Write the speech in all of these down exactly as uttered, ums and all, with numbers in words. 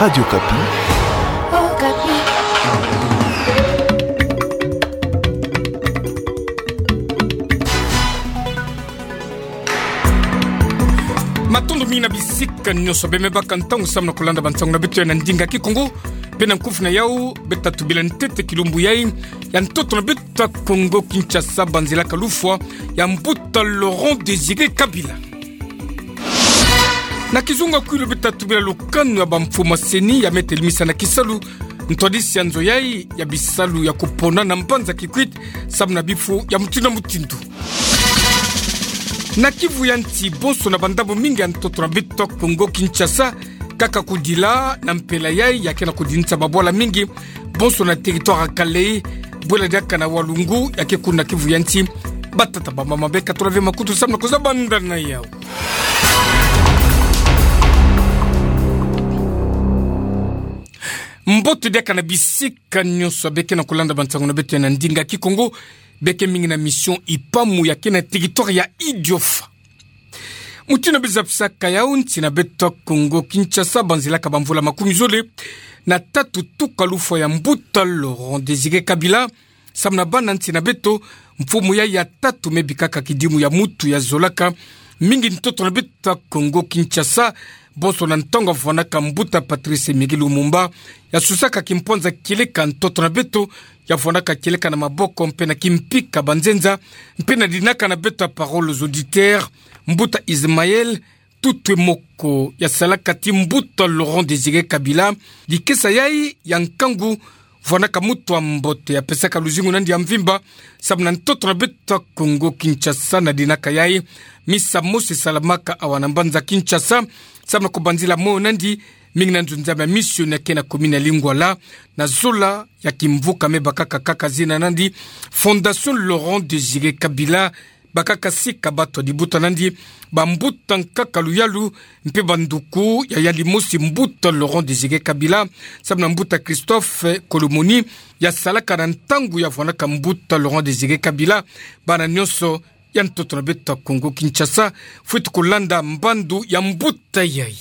Radio Okapi. Okapi. Matondo mingi na bisika nyonso bemebaka ntangu samu na kulanda bansangu na beto ya na ndinga Kikongo. Mpe na nkufi na yau, beta tubila ntete kilumbu yai ya ntoto na beto ya Kongo Kinshasa, banzelaka lufwa ya mbuta Laurent Désiré Kabila. Na kizunga kwilu beta tubila lukanu ya bamfumu ya CENI ya me telemisa na kisalu ntwadisi ya nzo yai ya bisalu ya kupona na mbanza Kikwit, samu na bifu ya mutindu na mutindu. Na kivu ya nsi bonso na bandambu mingi ya ntoto na beto ya Kongo Kinshasa, kaka kudila na mpela yai ya ke na kudinisa babwala mingi bonso na territoire ya Kalehe, bwela diaka na Walungu ya ke kuna kivu ya nsi. Batata, bamama, beka tula ve makutu samu na kuzabanda na yau. Mbote diaka na bisika nyonso beke na kulanda bansangu na beto ya na ndinga Kikongo, beke mingi na mission Ipamu ya ke na territoire ya Idiofa. Mutindu bezapisaka yau, nsi na beto ya Kongo Kinshasa banzelaka bamvula makumi zole na tatu tuka lufwa ya mbuta Laurent Désiré Kabila, samu na bana nsi na beto, mfumu yai ya tatu me bikaka kidimu ya mutu ya zolaka mingi ntoto na beto ya Kongo Kinshasa, bonso na ntangu avwanaka mbuta Patrice Emery Lumumba, ya susaka kimpwanza kieleka ntoto na beto, ya vwanaka kieleka na maboko mpe na kimpika banzenza, mpe na dinaka na beto ya Parole aux auditeurs, mbuta Ismaël Tutwe Moko, ya salaka ti mbuta Laurent Désiré Kabila dikesa yai ya nkangu, vwanaka mutu ya mbote, ya pesaka luzingu na yandi ya mvimba samu na ntoto na beto ya Kongo Kinshasa. Na dinaka yai, misa mosi esalamaka awa na mbanza Kinshasa samu na kubanzila moyo na yandi mingi na nzunzama ya mission ya ke na commune ya Lingwala, na zola ya kimvuka me bakaka kaka zina na yandi Fondation Laurent Désiré Kabila, bakaka sika bato ya libuta na yandi, bambuta nkaka luyalu mpe banduku ya yandi mosi mbuta Laurent Désiré Kabila, samu na mbuta Christophe Kolomoni, ya salaka na ntangu ya vwanaka mbuta Laurent Désiré Kabila. Bana nyonso ya ntoto na beto ya Kongo Kinshasa, fweti kulanda mbandu ya mbuta yai.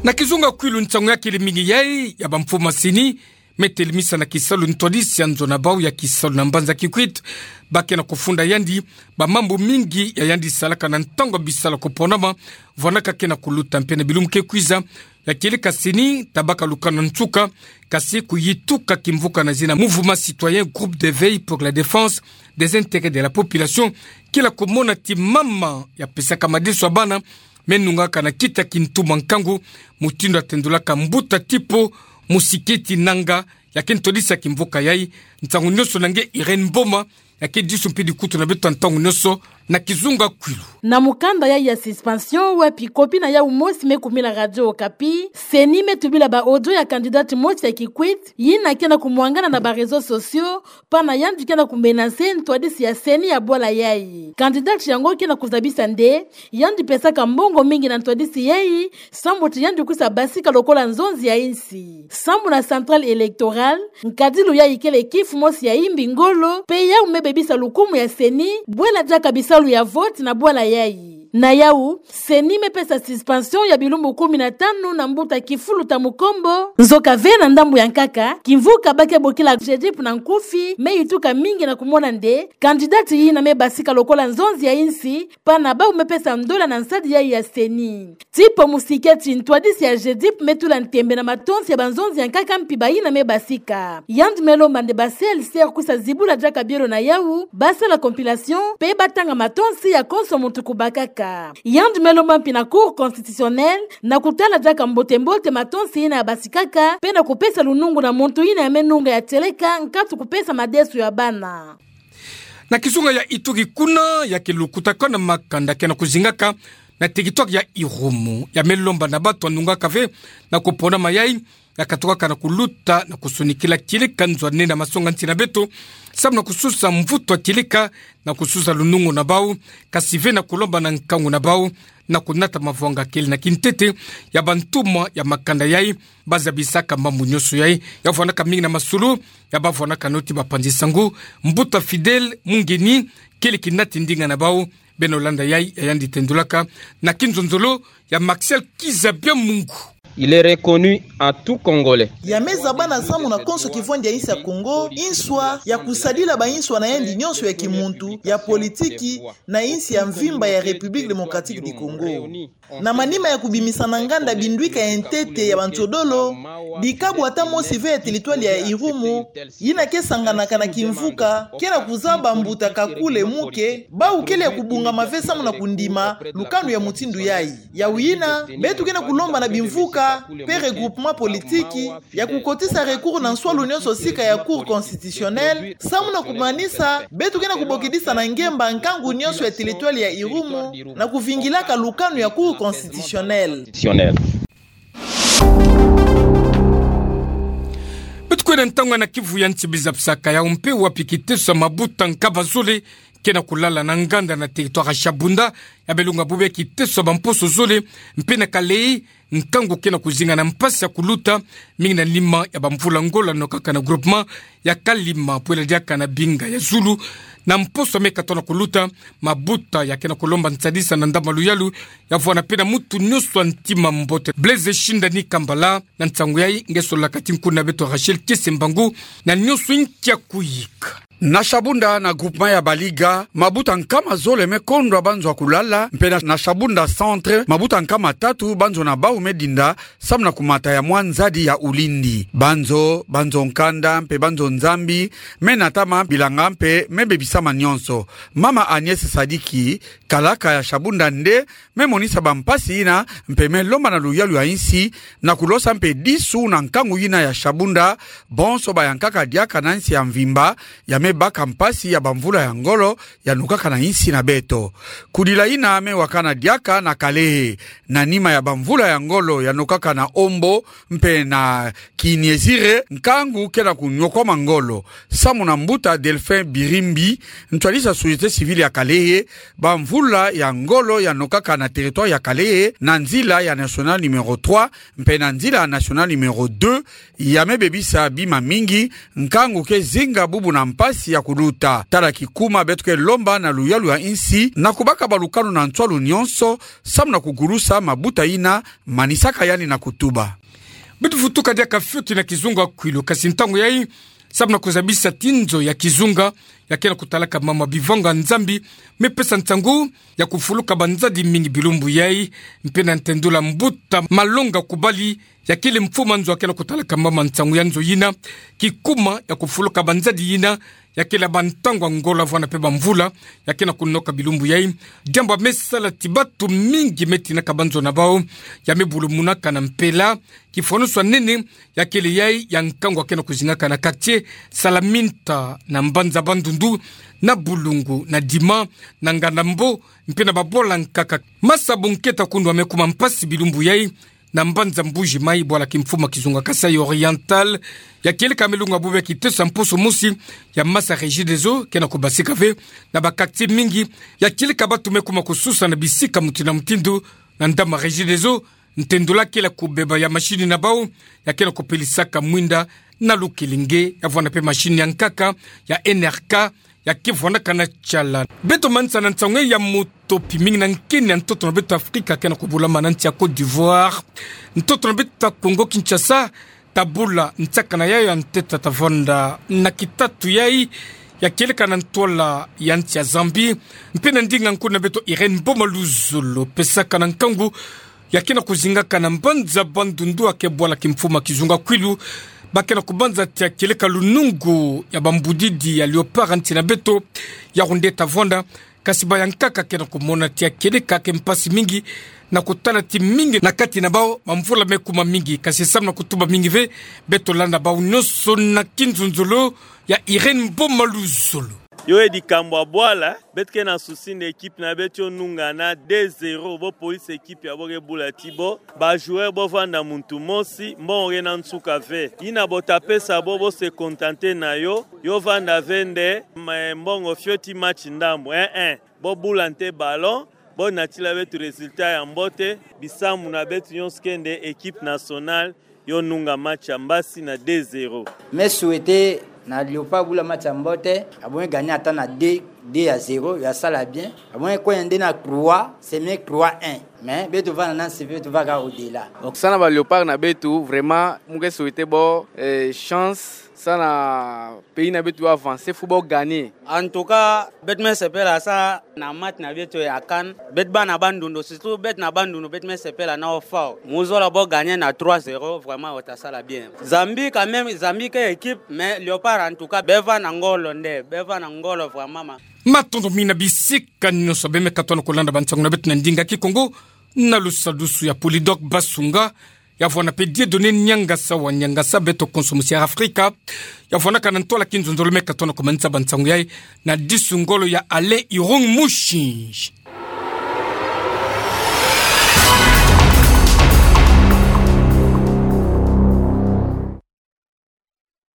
Na kizunga kwilu, nsangu ya kele mingi yai ya bamfumu ya CENI me telemisa na kisalu ntwadisi ya nzo na bau ya kisalu na mbanza Kikwit, ba ke na kufunda yandi bamambu mingi ya yandi salaka na ntangu ya bisalu ya kuponama, vwanaka ke na kuluta mpe na bilumbu ke kwiza, ya kieleka CENI tabaka lukanu na nsuka, kasi kuyituka kimvuka na zina Mouvement Citoyen Groupe d'Éveil pour la Défense des Intérêts de la Population, kila kumona ti mama ya pesaka madeso ya bana me nungaka na kita kintuma nkangu, mutindu atendolaka mbuta Tipo Musiketi Nanga, ya ke ntwadisi ya kimvuka yai. Nsangu nyonso na nge Irène Mboma, ya ke disu mpe dikutu na beto ya ntangu nyonso na kizunga kwilu. Na mukanda yai ya suspension, wapi copie na yau mosi me kumila Radio Okapi, CENI me tubila ba audio ya candidate mosi ya Kikwit, yina ke na kumwangana na ba réseaux sociaux, pana yandi ke na kumenacer ntwadisi ya CENI ya bwala yai. Candidate yango ke na kuzabisa nde yandi pesaka mbongo mingi na ntwadisi yai, sambu ti yandi kwisa basika lokola nzonzi ya insi. Sambu na Centrale Électorale, nkadilu yai kele kifu mosi ya imbi ngolo, mpe yau me bebisa lukumu ya CENI bwela diaka bisalu ya vote na bwala yai. Na yau, CENI me pesa suspension ya bilumbu kumi na tanu na mbuta Kifuluta Mukombo. Nzoka ve na ndambu ya nkaka, kimvuka ba ke bokila GEDIP na nkufi, me yituka mingi na kumona nde candidate yina me basika lokola nzonzi ya insi, pana bau me pesa ndola na nsadi yai ya CENI. Tipo Musiketi, ntwadisi ya GEDIP, me tula ntembe na matonsi ya banzonzi ya nkaka mpi bayina me basika. Yandi me lomba nde ba CLCR kwisa zibula diaka bielo na yau, ba sala compilation, mpe ba tanga matonsi ya konso muntu kubakaka. Yandi me lomba mpi na Cour constitutionnelle na kutala diaka mbote-mbote matonsi yina ya basikaka, mpe na kupesa lunungu na muntu yina ya me nunga ya tieleka nkatu kupesa madeso ya bana. Na kizunga ya Ituri kuna, ya ke lukutakana makanda ke na kuzingaka na territoire ya Irumu, ya me lomba na bato ya nungaka ve na kuponama yai, ya katukaka na kuluta na kusonikila kieleka nzo ya nene ya masonga nsi na beto, samu na kususa mvutu ya kieleka na kususa lunungu na bau, kasi ve na kulomba na nkangu na bau na kunata mavwanga kele na kintete ya bantuma ya makanda yai. Ba zabisaka mambu nyonso yai, ya vwanaka mingi na masolo ya ba vwanaka noti bapanzi sango. Mbuta Fidèle Mungeni kele kinati ndinga na bau, Beno landa yai, ya yandi tendulaka na kinzonzolo ya Maxiel Kizabia Mungu. Il est reconnu à tout Congolais. Ya me zabana samu na konso kivwandi ya insi ya Kongo inswa, ya kusadila ba inswa na yandi nyonso ya kimuntu, ya politiki, na insi ya mvimba ya République Démocratique du Congo. Na manima ya kubimisa na nganda bindwika ya ntete ya banzodolo, dikabu ata mosi ve ya territoire ya Irumu, yina ke sanganaka na kimvuka, ke na kuzaba mbuta Kakule Muke, bawu kele ya kubungama ve samu na kundima lukanu ya mutindu yai. Yawu yina, beto ke na kulomba na bimvuka, pe regroupement politique, ya kukotisa recours na nswalu nyonso sika ya Cour constitutionnelle, samu na kumanisa, beto ke na kubokidisa na ngemba nkangu nyonso ya territoire ya Irumu, na kuvingilaka lukanu ya Cour constitutionnelle. Beto kwenda ntangu na kivu ya nsi biza bisaka ya umpe wapi kiteso ya mabuta nkama zole ke na kulala na nganda na territoire ya Shabunda, ya belunga bubia kiteso ya bamposo zole, mpe na Kalehe, nkangu ke na kuzinga na mpasi ya kuluta, mingi na nima ya bamvula ngolo ya nokaka na groupement ya Kalima, pwela diaka na Binga ya Zulu, na mposo ya me katona kuluta, mabuta ya ke na kulomba nsadisa na ndambu ya luyalu, ya vwanda mpe na mutu nyonso wa ntima mbote. Blaise Shindani Kambala, na nsangu yai, nge solaka ti nkuna beto Rachel Kiese Mbangu, na nyonso inkia kuyika. Na Shabunda na groupement ya Baliga, mabuta nkama zole me kondwa banzo ya kulala, mpe na, na Shabunda Centre, mabuta nkama tatu banzo na bawu me dinda, samu na kumata ya mwa nzadi ya ulindi. Banzo, banzo nkanda, mpe banzo nzambi, me natama bilanga mpe me bebisama nyonso. Mama Agnès Sadiki, kalaka ya Shabunda nde, me monisa bampasi yina, mpe me lomba na luyalu ya insi, na kulosa mpe disu na nkangu yina ya Shabunda, bonso bayankaka diaka na insi ya mvimba, ya me baka mpasi ya bamvula ya ngolo, ya nokaka na insi na beto. Kudila yina me wakana diaka na Kalehe, na nima ya bamvula ya ngolo, ya nokaka na Ombo, mpe na Kiniezire, nkangu ke na kunyokwama ngolo. Samu na mbuta Delphin Birimbi, ntwadisi ya société civile ya Kalehe, bamvula ya ngolo ya nokaka na territoire ya Kalehe, na nzila ya nationale numéro trois, mpe na nzila ya nationale numéro deux, ya me bebisa bima mingi, nkangu ke zinga bubu na mpasi ya kuluta. Tala kikuma beto ke lomba na luyalu ya insi, na kubaka balukanu na nswalu nyonso, samu na kugulusa mabuta yina, manisaka yandi na kutuba. Beto vutuka diaka fioti na kizunga kwilu, kasi ntangu yai, samu na kuzabisa ti nzo ya kizunga, ya ke na kutalaka mama Bivanga Nzambi, me pesa nsangu ya kufuluka banzadi mingi bilumbu yai, mpe na ntendula mbuta Malonga Kubali, ya kele mfuma nzo ya ke na kutalaka mama nsangu ya nzo yina, kikuma ya kufuluka banzadi yina, ya kele bantangwa ngolo vwanda mpe bamvula, ya ke na kunoka bilumbu yai. Diambu ya me sala ti batu mingi me tinaka banzo na bawu, ya me bulumunaka na mpela, kifwanusu ya nene, ya kele yai ya nkangu ya ke na kuzingaka na quartier Salaminta, na mbanza Bandundu, na Bulungu, na Dima, na Nganda Mbo, mpe na babwala nkaka. Masa Bunketa Kundu ya me kuma mpasi bilumbu yai, na mbanza Mbuji Mayi, bwala kimfuma kizunga Kasaï Oriental, ya kieleka me lunga bubia kiteso ya mposo mosi, ya masa Regideso ke na kubasika ve na ba quartier mingi, ya kieleka batu me kuma kususa na bisika mutindu na mutindu, na ndambu ya Regideso, ntendula kele kubeba ya machine na bawu, ya ke na kupelisaka mwinda na lukilinge, ya vwanda mpe machine ya nkaka, ya N R K, ya ke vwandaka na tiala. Beto manisa na nsangu ya moto pi mingi na nkeni ya ntoto na beto Afrika ke na kubulama na nsi ya Côte d'Ivoire. Ntoto na beto ya Congo Kinshasa, ta bula nsakana yayo ya ntete ta vwanda na kitatu yai, ya kieleka na ntwala ya nsi ya Zambie. Mpe na ndinga nkuna beto Irène Mboma Luzolo, pesaka na nkangu, ya ke na kuzingaka na mbanza Bandundu, ya ke bwala kimfuma kizunga kwilu, ba ke na kubanza ti ya kieleka lunungu ya bambudidi ya léopard nsi na beto, ya kunde ta vwanda, kasi bayankaka ke na kumona ti ya kieleka ke mpasi mingi, na kutala ti mingi na kati na bawu, bamvula me kuma mingi, kasi samu na kutuba mingi ve, beto landa bawu nyonso na kinzonzolo ya Irène Mboma Luzolo. Yo e likambo ya bwala, beto ke na souci na équipe na beto yo nunga na deux zéro, bo polisi équipe ya bo ke bula ti bo, ba joueur bo vwanda muntu mosi, mbongo ke na nsuka ve. Yina bo ta pesa bo, bo se contenter na yo, yo vwanda ve nde, ma mbongo fioti match ndambu, eh, eh. Bo bula nte ballon, bo natila beto résultat ya mbote, bisambu na beto nyonso ke nde équipe nationale, yo nunga match ya mbasi na deux zéro. Me souhaiter na Léopard bula match ya mbote, ya bo me gagner ata na deux deux à zéro, ya sala bien. Amoin, quand il y a un trois, c'est mieux trois un. Mais beto vanda na nsi, beto va kaka au-delà. Samu na ba Léopards na beto, vraiment, mu ke souhaiter bo, eh, chance, samu na pays na beto avancer, faut bo gagner. En tout cas, beto me sepela samu na match na beto ya CAN, beto bâ na ba ndundo, surtout beto na ba ndundo, beto me sepela nao fort. Mu zola bo gagner na trois zéro, vraiment, ota sala bien. Zambie, quand même, Zambie ke équipe, mais Léopards, en tout cas, be va na ngolo nde, be va na ngolo vraiment, ma. Matondo mingi na bisika nyonso be me katuana kolanda ba nsangu na beto na ndinga Kikongo, na lusadusu ya Polydor Basunga, ya vwanda pe Dieudonné Niangasa wa Niangasa, beto konso musi Air Afrika, ya vwandaka na ntwala kinzonzolo me katuana komanisa ba nsangu yayi, na disu ngolo ya Alain Irung Mushinji.